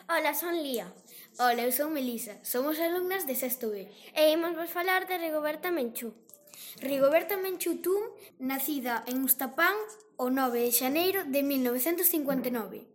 Ola, son Lía. Ola, eu son Melisa. Somos alumnas de sexto B. E imos vos falar de Rigoberta Menchú. Rigoberta Menchú Tun, nacida en Ustapán o 9 de xaneiro de 1959.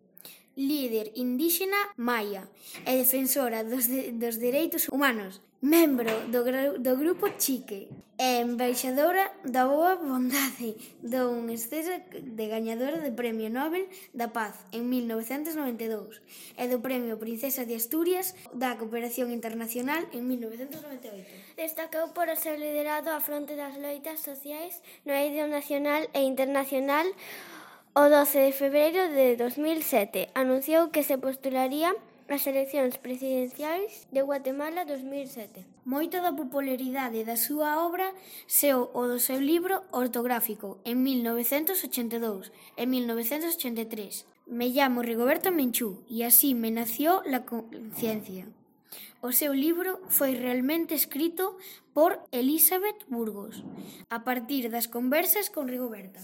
Líder indíxena maia e defensora dos dereitos humanos, membro do grupo Chique e embaixadora da boa bondade dun exceso de gañadora do Premio Nobel da Paz en 1992 e do Premio Princesa de Asturias da Cooperación Internacional en 1998. Destacou por o seu liderado á fronte das loitas sociais no eido nacional e internacional. O 12 de febreiro de 2007 anunciou que se postularía ás eleccións presidenciais de Guatemala 2007. Moita da popularidade da súa obra seo o do seu libro ortográfico en 1982 e 1983. Me llamo Rigoberta Menchú e así me nació la conciencia. O seu libro foi realmente escrito por Elizabeth Burgos, a partir das conversas con Rigoberta.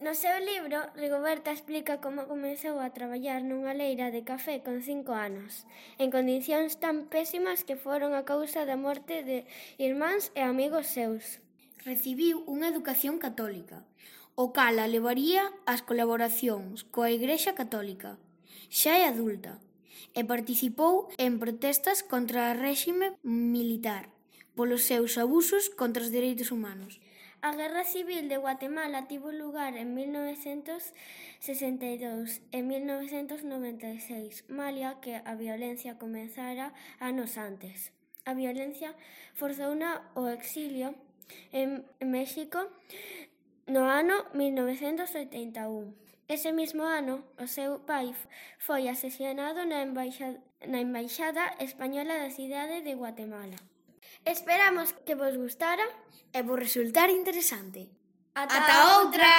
No seu libro, Rigoberta explica como comezou a traballar nunha leira de café con 5 anos, en condicións tan pésimas que foron a causa da morte de irmáns e amigos seus. Recibiu unha educación católica, o cal a levaría ás colaboracións coa Igrexa Católica. Xa é adulta e participou en protestas contra o réxime militar polos seus abusos contra os dereitos humanos. A Guerra Civil de Guatemala tivo lugar en 1962 e 1996, malia que a violencia comezara anos antes. A violencia forzouna ao exilio en México no ano 1981. Ese mismo ano, o seu pai foi asesinado na embaixada española da cidade de Guatemala. Esperamos que vos gustara e vos resultar interesante. Ata outra!